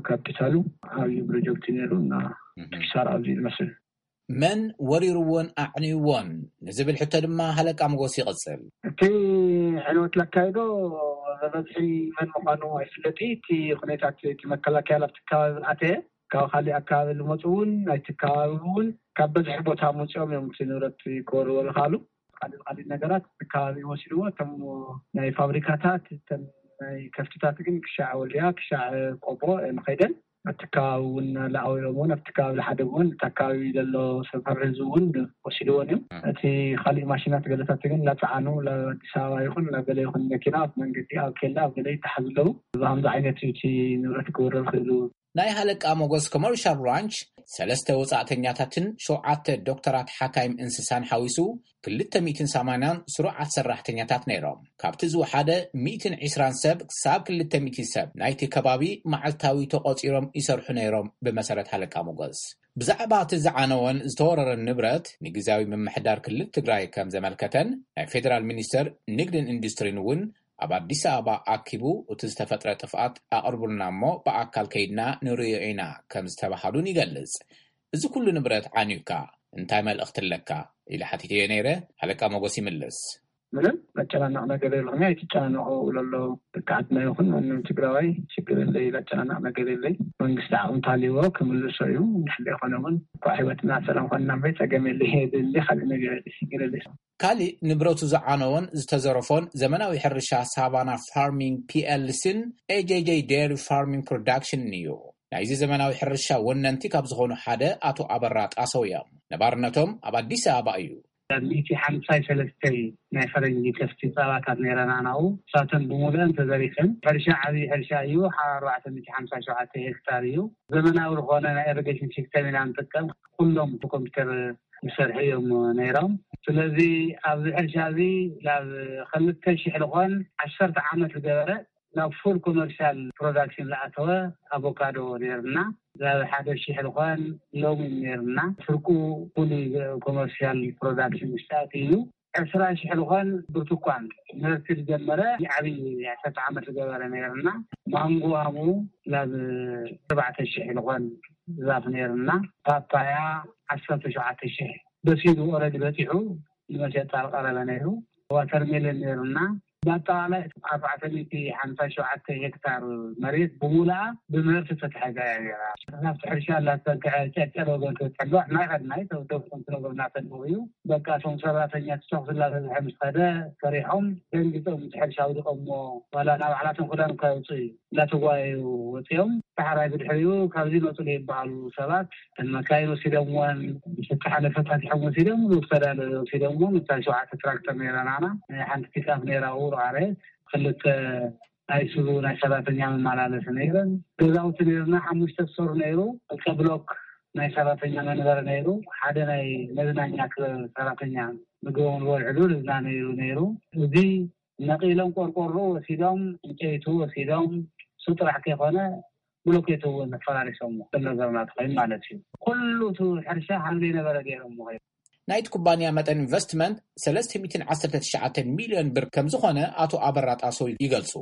ካፒታሉ፣ ዓብዩ ፕሮጀክት ነይሩ እና፣ ኪሳራ ኣብዚ ዝመስል። መን ወሪርዎን ኣዕንይዎን ንዝብል ሕቶ ድማ ሃለቃ መጎስ ይቕጽል። እቲ ዕንወት ለካይዶ በበዝሒ መን ምዃኑ ኣይፍለጥ። እቲ ኩነታት እቲ መከላከያ ኣብቲ ከባቢ ኣተየ፣ ካብ ካሊእ ኣካባቢ ዝመፁ እውን ናይቲ ከባቢ እውን ካብ በዝሒ ቦታ መፅኦም እዮም እቲ ንብረት ክወርዎ ዝኽኣሉ። ካልእ ካልእ ነገራት እቲ ከባቢ ወሲድዎ። እቶም ናይ ፋብሪካታት፣ እተን ናይ ከፍትታት ግን ክሻዕ ወልድያ፣ ክሻዕ ቆቦ እዮም ከይደን። ኣብቲ ከባቢ እውን ለኣውዮም እውን ኣብቲ ከባቢ ዝሓደጉ እውን እቲ ኣካባቢ ዘሎ ሰፈር ህዝቢ እውን ወሲድዎን እዮም። እቲ ካሊእ ማሽናት ገለታት ግን ላፀዓኑ ላኣዲስ ኣበባ ይኹን ላገለ ይኹን መኪና ኣብ መንገዲ ኣብ ኬላ ኣብ ገለ ይተሓዙ ኣለዉ። ብሃምዚ ዓይነት እዩ እቲ ንብረት ክወረር ክእሉ። ናይ ሃለቃ ሞጎስ ኮመርሻል ራንች ሰለስተ ወፃእተኛታትን ሸውዓተ ዶክተራት ሓካይም እንስሳን ሓዊሱ ክልተ ሚእትን ሰማንያን ስሩዓት ሰራሕተኛታት ነይሮም። ካብቲ ዝወሓደ ሚእትን ዕስራን ሰብ ክሳብ ክልተ ሚእቲ ሰብ ናይቲ ከባቢ መዓልታዊ ተቖፂሮም ይሰርሑ ነይሮም። ብመሰረት ሃለቃ ሞጎስ ብዛዕባ እቲ ዝዓነወን ዝተወረረን ንብረት ንግዝያዊ ምምሕዳር ክልል ትግራይ ከም ዘመልከተን ናይ ፌደራል ሚኒስተር ንግድን ኢንዱስትሪን እውን ኣብ ኣዲስ ኣበባ ኣኪቡ እቲ ዝተፈጥረ ጥፍኣት ኣቕርቡልና እሞ ብኣካል ከይድና ንርእዮ ኢና ከም ዝተባሃሉን ይገልጽ። እዚ ኩሉ ንብረት ዓንዩካ እንታይ መልእኽቲ ኣለካ? ኢለ ሓቲተዮ ነይረ። ሃለቃ ሞጎስ ይምልስ። ምንም መጨናነቕ ነገር የለኹም። ኣይትጨናነቑ እብሎ ኣለኹ። ደቂ ዓድና ይኹን ማንም ትግራዋይ ችግር የለይ፣ ዘጨናንቕ ነገር የለይ። መንግስቲ ዓቕሚ እንተሃልይዎ ክምልሶ እዩ። እንድሕር ዘይኮነ እውን እኳ ህይወትና ሰላም ኮይንና እምበይ ጸገም የለይ። የድሊ ካልእ ነገር የለይ፣ ችግር የለይ። ካሊእ ንብረቱ ዝዓነዎን ዝተዘረፎን ዘመናዊ ሕርሻ ሳቫና ፋርሚንግ ፒኤልሲን ኤጄጄ ዴሪ ፋርሚንግ ፕሮዳክሽንን እዩ። ናይዚ ዘመናዊ ሕርሻ ወነንቲ ካብ ዝኾኑ ሓደ ኣቶ ኣበራ ጣሰው እዮም። ነባርነቶም ኣብ ኣዲስ ኣበባ እዩ። ሚእቲ ሓምሳይ ሰለስተይ ናይ ፈረንጂ ከፍቲ ፃባታት ነይረና ናው ሳተን ብሙሉአን ተዘሪፈን። ሕርሻ ዓብዪ ሕርሻ እዩ። ሓ ኣርባዕተ ሚእቲ ሓምሳ ሸውዓተ ሄክታር እዩ። ዘመናዊ ዝኾነ ናይ ኢሪጌሽን ሲስተም ኢና ንጥቀም። ኩሎም ብኮምፒውተር ዝሰርሑ እዮም ነይሮም። ስለዚ ኣብዚ ሕርሻ እዚ ናብ ክልተ ሽሕ ዝኾን ዓሰርተ ዓመት ዝገበረ ናብ ፉል ኮመርሻል ፕሮዳክሽን ዝኣተወ ኣቮካዶ ነይርና። ናብ ሓደ ሽሕ ዝኾን ሎሚ ነይርና። ፍርቁ ፉል ኮመርሻል ፕሮዳክሽን ውሽጣት እዩ። ዕስራ ሽሕ ዝኾን ብርቱኳን ምህርቲ ዝጀመረ ዓብዪ ዓሰርተ ዓመት ዝገበረ ነይርና። ማንጎ ኣሙ ናብ ኣርባዕተ ሽሕ ዝኾን ዛፍ ነይርና። ፓፓያ ዓሰርተ ሸውዓተ ሽሕ በሲሉ ኦረዲ በፂሑ ንመሸጣ ዝቐረበ ነይሩ። ዋተርሜለን ነይርና። ብኣጠቓላይ ኣርባዕተ ሚእቲ ሓምሳ ሸውዓተ ሄክታር መሬት ብሙሉኣ ብምህርቲ ተታሒዛ እያ ነይራ። ናብቲ ሕርሻ እናተፀግዐ ጨጨር ወገን ክትሕልዋ ናይ ቀድማይ ተወደብኩም ትነግሩ እናተልዉ እዩ። በቃ እቶም ሰራተኛ ትተኹስ እናተዝሐ ምስ ኸደ ፈሪሖም ደንጊፆም እቲ ሕርሻ ኣውዲቖሞ ዋላ ናብ ዓላቶም ክዳን እኳ ይውፅኡ እዩ እናተጓየዩ ወፂኦም። ዳሕራይ ብድሕሪኡ ካብዚ መፁ ዘይበሃሉ ሰባት እተን መካይን ወሲዶምወን፣ ዝተሓለፈ ታቲሖም ወሲዶም፣ ዝተዳለወ ወሲዶምወን። እታ ሸውዓተ ትራክተር ነይራ ናና፣ ሓንቲ ፒክኣፕ ነይራ፣ ውርቃሬ፣ ክልተ ኣይሱዙ ናይ ሰራተኛ መመላለሲ ነይረን። ገዛውቲ ነይርና፣ ሓሙሽተ ስቶር ነይሩ፣ ክልተ ብሎክ ናይ ሰራተኛ መንበሪ ነይሩ፣ ሓደ ናይ መዝናኛ ክበብ ሰራተኛ ምግቦም ዝበልዕሉ እዛ ነይሩ ነይሩ። እዚ ነቒሎም ቆርቆሮ ወሲዶም፣ ዕንጨይቱ ወሲዶም፣ እሱ ጥራሕ ከይኮነ ብሎኬት እውን ፈራሪሶሞ፣ ከም ነገርና ተኾይኑ ማለት እዩ። ኩሉ እቲ ሕርሻ ከም ዘይነበረ ገይሮሞ። ናይቲ ኩባንያ መጠን ኢንቨስትመንት ሰለስተ ሚእትን ዓሰርተ ትሽዓተ ሚልዮን ብር ከም ዝኾነ ኣቶ ኣበራ ጣሰው ይገልጹ።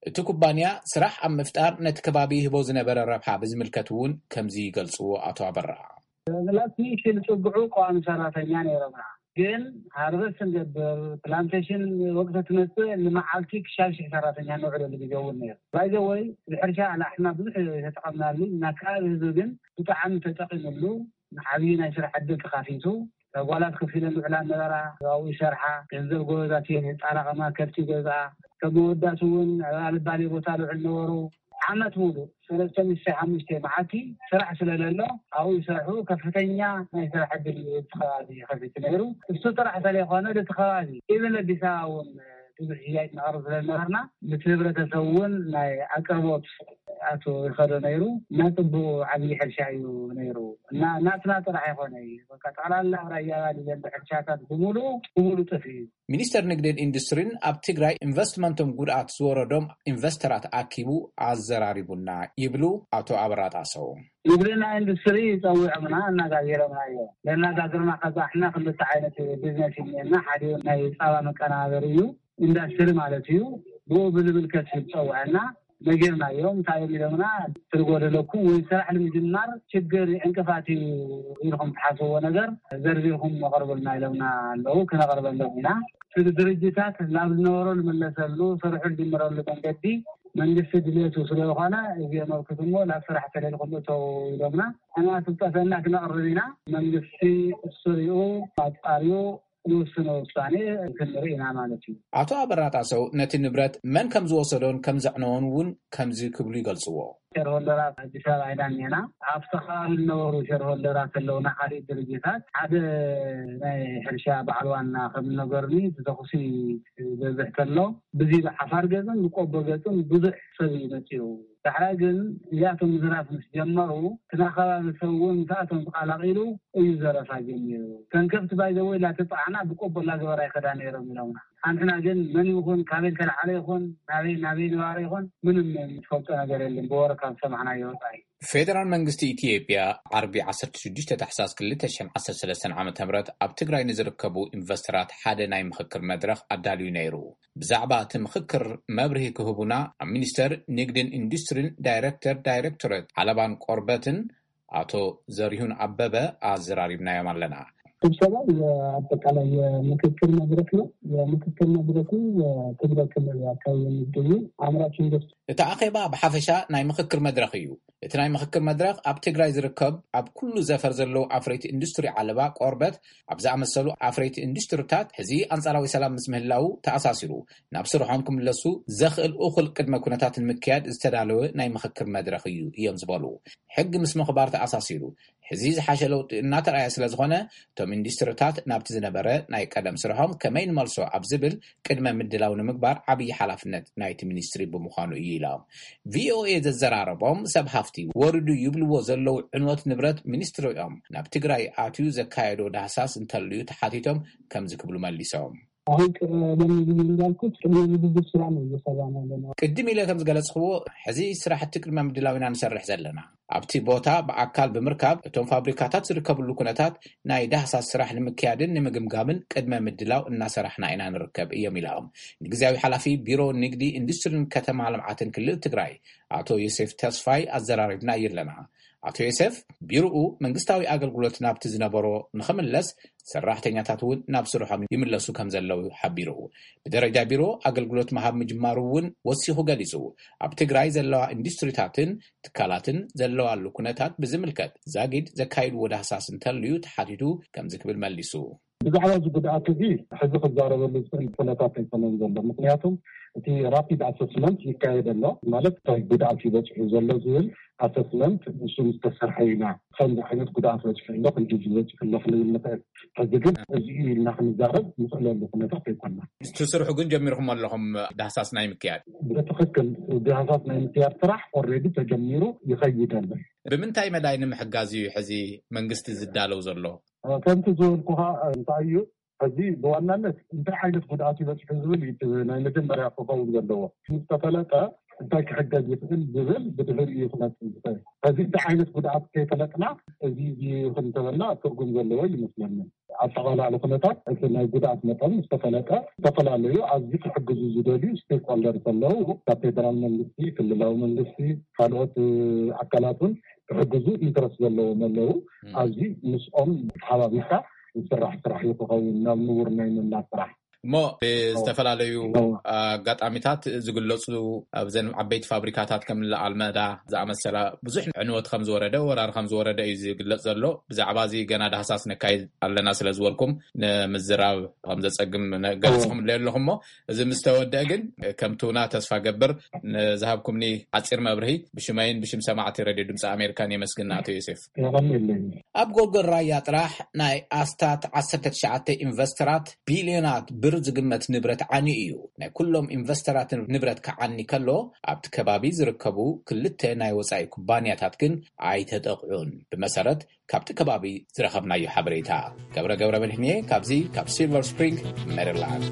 እቲ ኩባንያ ስራሕ ኣብ ምፍጣር ነቲ ከባቢ ይህቦ ዝነበረ ረብሓ ብዝምልከት እውን ከምዚ ይገልጽዎ ኣቶ ኣበራ። ላስሚሽን ጽግዑ ቀዋሚ ሰራተኛ ነይሮምና። ግን ሃርቨስት ንገብር፣ ፕላንቴሽን ወቅቲ ትመጽእ ንመዓልቲ ክሻብ ሽሕ ሰራተኛ ነውዕለሉ ግዜ እውን ነይሩ። ባይዘወይ ብሕርሻ ኣላሕና ብዙሕ የተጠቐምናሉ፣ እና ከባቢ ህዝቢ ግን ብጣዕሚ ተጠቒምሉ። ዓብዪ ናይ ስራሕ ዕድል ተኻፊቱ። ጓላት ከፊለን ዝውዕላ ነበራ፣ ኣብኡ ይሰርሓ። ገንዘብ ጎበዛት እየን፣ የጣራቐማ፣ ከብቲ ይገዝኣ። ከም መወዳእቲ እውን ኣብ ኣልባሌ ቦታ ዝውዕል ነበሩ። ዓመት ሙሉእ ሰለስተ ሚእቲ ሓሙሽተ መዓልቲ ስራሕ ስለለሎ ኣብኡ ይሰርሑ። ከፍተኛ ናይ ስራሕ ዕድል እዩ እቲ ከባቢ ከፊቱ ነይሩ። እሱ ጥራሕ ስለይኮነ እቲ ከባቢ ኢብን ኣዲስ ኣበባ እውን ብዙሕ ሽያጭ ነቕርብ ስለነበርና ምስ ህብረተሰብ እውን ናይ ኣቅርቦት ኣቶ ይኸዶ ነይሩ። ናይ ጽቡቅ ዓብዪ ሕርሻ እዩ ነይሩ። እና ናትና ጥራሕ ኣይኮነ እዩ። በቃ ጠቕላላ ኣብ ራያ ባሊ ዘሎ ሕርሻታት ብምሉኡ፣ ብምሉኡ ጠፊኡ እዩ። ሚኒስተር ንግድን ኢንዱስትሪን ኣብ ትግራይ ኢንቨስትመንቶም ጉድኣት ዝወረዶም ኢንቨስተራት ኣኪቡ ኣዘራሪቡና ይብሉ ኣቶ ኣበራ ጣሰው። ንግድና ኢንዱስትሪ ጸዊዖምና፣ ኣነጋጊሮምና እዮም። ዘነጋግርና ከዛ ሕና ክልተ ዓይነት ቢዝነስ እዩ እኒአና። ሓደ ናይ ጻባ መቀናበሪ እዩ፣ ኢንዱስትሪ ማለት እዩ። ብኡ ብልብል ከስብ ጸውዐና፣ ነጊርናዮም። እንታይ እዮም ኢሎምና? ትርጎደለኩም ወይ ስራሕ ንምጅማር ችግር ዕንቅፋት እዩ ኢልኩም ትሓስብዎ ነገር ዘርዚርኩም ኣቕርቡልና ኢሎምና ኣለዉ። ክነቕርበሎም ኢና። እቲ ድርጅታት ናብ ዝነበሮ ዝምለሰሉ፣ ስርሑ ዝጅምረሉ መንገዲ መንግስቲ ድልየቱ ስለዝኾነ፣ እዚኦም ኣብ ክትሞ ናብ ስራሕ ተለልኩም እተው ኢሎምና። ሕና ስልጠፈና ክነቕርብ ኢና። መንግስቲ እሱ ሪኡ ኣጻርዩ ንውስኖ ውሳኔ ክንርኢ ኢና ማለት እዩ። ኣቶ ኣበራ ጣሰው ነቲ ንብረት መን ከም ዝወሰዶን ከም ዘዕነዎን እውን ከምዚ ክብሉ ይገልጽዎ። ሸርሆልደራት ኣዲስ ኣበባ ኢና እኒአና። ኣብቲ ከባቢ ዝነበሩ ሸርሆልደራት ኣለውና፣ ካልእ ድርጅታት። ሓደ ናይ ሕርሻ በዓል ዋና ከም ዝነገሩኒ፣ እቲ ተኹሲ ዝበዝሕ ከሎ፣ ብዚ ብሓፋር ገጽን ብቆቦ ገጽን ብዙሕ ሰብ እዩ መጺኡ። ዳሕራይ ግን እዚኣቶም ምዝራፍ ምስ ጀመሩ፣ እቲ ናይ ከባቢ ሰብ እውን ምስኣቶም ተቐላቒሉ እዩ ዘረፋ ጀሚሩ። ከንከፍቲ ባይዘወይ ላተጻዕና ብቆቦ ላገበራ ይኸዳ ነይሮም ኢሎምና። ሓንትና ግን መን ይኹን፣ ካበይ ተለዓለ ይኹን፣ ናበይ፣ ናበይ ንባረ ይኹን፣ ምንም ዝፈልጦ ነገር የለን፣ ብወረ ካብ ዝሰማዕናዮ ወጻኢ። ፌደራል መንግስቲ ኢትዮጵያ ዓርቢ ዓሰርተ ሽዱሽተ ታሕሳስ ክልተ ሽሕን ዓሰርተ ሰለስተን ዓመተ ምህረት ኣብ ትግራይ ንዝርከቡ ኢንቨስተራት ሓደ ናይ ምኽክር መድረኽ ኣዳልዩ ነይሩ። ብዛዕባ እቲ ምኽክር መብርሂ ክህቡና ኣብ ሚኒስተር ንግድን ኢንዱስትሪን ዳይሬክተር ዳይሬክቶሬት ዓለባን ቆርበትን ኣቶ ዘሪሁን ኣበበ ኣዘራሪብናዮም ኣለና። ስብሰባው የአጠቃላይ የምክክር መድረክ ነው። የምክክር መድረኩ የትግራይ ክልል አካባቢ የሚገኙ አምራች ኢንዱስትሪ እቲ ኣኼባ ብሓፈሻ ናይ ምኽክር መድረኽ እዩ። እቲ ናይ ምኽክር መድረኽ ኣብ ትግራይ ዝርከብ ኣብ ኩሉ ዘፈር ዘለዉ ኣፍረይቲ ኢንዱስትሪ ዓለባ፣ ቆርበት ኣብ ዝኣመሰሉ ኣፍረይቲ ኢንዱስትሪታት ሕዚ ኣንጻራዊ ሰላም ምስ ምህላዉ ተኣሳሲሩ ናብ ስርሖም ክምለሱ ዘኽእል እኹል ቅድመ ኩነታት ንምክያድ ዝተዳለወ ናይ ምኽክር መድረኽ እዩ እዮም ዝበሉ። ሕጊ ምስ ምኽባር ተኣሳሲሩ ሕዚ ዝሓሸ ለውጢ እናተረኣየ ስለ ዝኾነ፣ እቶም ኢንዱስትሪታት ናብቲ ዝነበረ ናይ ቀደም ስርሖም ከመይ ንመልሶ ኣብ ዝብል ቅድመ ምድላው ንምግባር ዓብዪ ሓላፍነት ናይቲ ሚኒስትሪ ብምዃኑ እዩ ኢሎም። ቪኦኤ ዘዘራረቦም ሰብ ሃፍቲ ወሪዱ ይብልዎ ዘለዉ ዕንወት ንብረት ሚኒስትሪኦም ናብ ትግራይ ኣትዩ ዘካየዶ ዳህሳስ እንተልዩ ተሓቲቶም ከምዚ ክብሉ መሊሶም። አሁን ቀደም ብዬ እንዳልኩት ቅድመ ዝግጅት ስራ ነው እየሰራን ያለነው። ቅድም ኢለ ከም ዝገለጽክዎ፣ ሕዚ ስራሕቲ ቅድመ ምድላው ኢና ንሰርሕ ዘለና። ኣብቲ ቦታ ብኣካል ብምርካብ እቶም ፋብሪካታት ዝርከብሉ ኩነታት ናይ ዳህሳስ ስራሕ ንምክያድን ንምግምጋምን ቅድመ ምድላው እናሰራሕና ኢና ንርከብ እዮም ኢሎም። ንግዝያዊ ሓላፊ ቢሮ ንግዲ ኢንዱስትሪን ከተማ ልምዓትን ክልል ትግራይ ኣቶ ዮሴፍ ተስፋይ ኣዘራሪብና ኣለና። ኣቶ ዮሴፍ ቢሮኡ መንግስታዊ ኣገልግሎት ናብቲ ዝነበሮ ንኽምለስ፣ ሰራሕተኛታት እውን ናብ ስርሖም ይምለሱ ከም ዘለዉ ሓቢሩ። ብደረጃ ቢሮ ኣገልግሎት ምሃብ ምጅማሩ እውን ወሲኹ ገሊጹ። ኣብ ትግራይ ዘለዋ ኢንዱስትሪታትን ትካላትን ዘለዋሉ ኩነታት ብዝምልከት ዛጊድ ዘካይድዎ ዳህሳስ እንተልዩ ተሓቲቱ ከምዚ ክብል መሊሱ። ብዛዕባ እዚ ጉድኣት እዚ ሕዚ ክዛረበሉ ዝኽእል ኩነታት ኣይኮነን ዘሎ። ምክንያቱም እቲ ራፒድ ኣሰስመንት ይካየድ ኣሎ። ማለት እንታይ ጉድኣት እዩ በፂሑ ዘሎ ዝብል ኣሰስመንት ንሱ ምስ ተሰርሐ ኢና ከምዚ ዓይነት ጉድኣት በፂሑ ኣሎ፣ ክንዲ በፂሑ ኣሎ ክንብል ንኽእል። ሕዚ ግን እዚ እዩ ኢልና ክንዛረብ ንኽእለሉ ኩነታት ኣይኮና። እቲ ስርሑ ግን ጀሚርኩም ኣለኹም ዳህሳስ ናይ ምክያድ? ብትኽክል፣ ዳህሳስ ናይ ምክያድ ስራሕ ኦልሬዲ ተጀሚሩ ይኸይድ ኣሎ። ብምንታይ መዳይ ንምሕጋዝ እዩ ሕዚ መንግስቲ ዝዳለው ዘሎ? ከምቲ ዝበልኩኻ እንታይ እዩ፣ ሕዚ ብዋናነት እንታይ ዓይነት ጉድኣት ይበፅሑ ዝብል እዩ እቲ ናይ መጀመርያ ክኸውን ዘለዎ። ምስ ተፈለጠ እንታይ ክሕገዝ ይኽእል ዝብል ብድሕሪ እዩ ክመፅእ ዝኽእል። ሕዚ እንታይ ዓይነት ጉድኣት ከይፈለጥና እዚ እዚ ይኹን እንተበልና ትርጉም ዘለዎ ይመስለኒ። ኣጠቓላሊ ኩነታት እቲ ናይ ጉድኣት መጠን ምስ ተፈለጠ ዝተፈላለዩ ኣብዚ ክሕግዙ ዝደልዩ ስቴክሆልደር ዘለዉ ካብ ፌደራል መንግስቲ፣ ክልላዊ መንግስቲ፣ ካልኦት ኣካላት እውን ክሕግዙ ኢንትረስት ዘለዎም ኣለዉ። ኣብዚ ምስኦም ተሓባቢርካ ዝስራሕ ስራሕ እዩ ክኸውን ናብ ንቡር ናይ ምምላስ ስራሕ። እሞ ብዝተፈላለዩ ኣጋጣሚታት ዝግለፁ ኣብዘን ዓበይቲ ፋብሪካታት ከም ኣልመዳ ዝኣመሰላ ብዙሕ ዕንወት ከም ዝወረደ፣ ወራር ከም ዝወረደ እዩ ዝግለፅ ዘሎ። ብዛዕባ እዚ ገና ዳህሳስ ነካይድ ኣለና ስለ ዝበልኩም ንምዝራብ ከም ዘፀግም ገሊፅኹም ኣለይ ኣለኹም። እሞ እዚ ምስ ተወደአ ግን ከምቲ ውና ተስፋ ገብር ንዝሃብኩምኒ ሓፂር መብርሂ ብሽመይን ብሽም ሰማዕቲ ሬድዮ ድምፂ ኣሜሪካን የመስግን ኣቶ ዮሴፍ። የቐንየለይ። ኣብ ጎልጎል ራያ ጥራሕ ናይ ኣስታት ዓሰርተ ትሽዓተ ኢንቨስተራት ቢልዮናት ብር ዝግመት ንብረት ዓንዩ እዩ። ናይ ኩሎም ኢንቨስተራት ንብረት ክዓኒ ከሎ፣ ኣብቲ ከባቢ ዝርከቡ ክልተ ናይ ወጻኢ ኩባንያታት ግን ኣይተጠቕዑን። ብመሰረት ካብቲ ከባቢ ዝረኸብናዮ ሓበሬታ። ገብረ ገብረ መድህንየ ካብዚ ካብ ሲልቨር ስፕሪንግ ሜሪላንድ።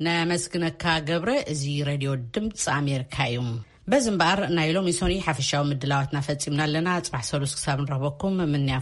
ነመስግነካ ገብረ። እዚ ሬድዮ ድምፂ ኣሜሪካ እዩ። በዚ እምበኣር ናይ ሎሚ ሶኒ ሓፈሻዊ ምድላዋትና ፈጺምና ኣለና። ጽባሕ ሰሉስ ክሳብ ንረኽበኩም ምንያ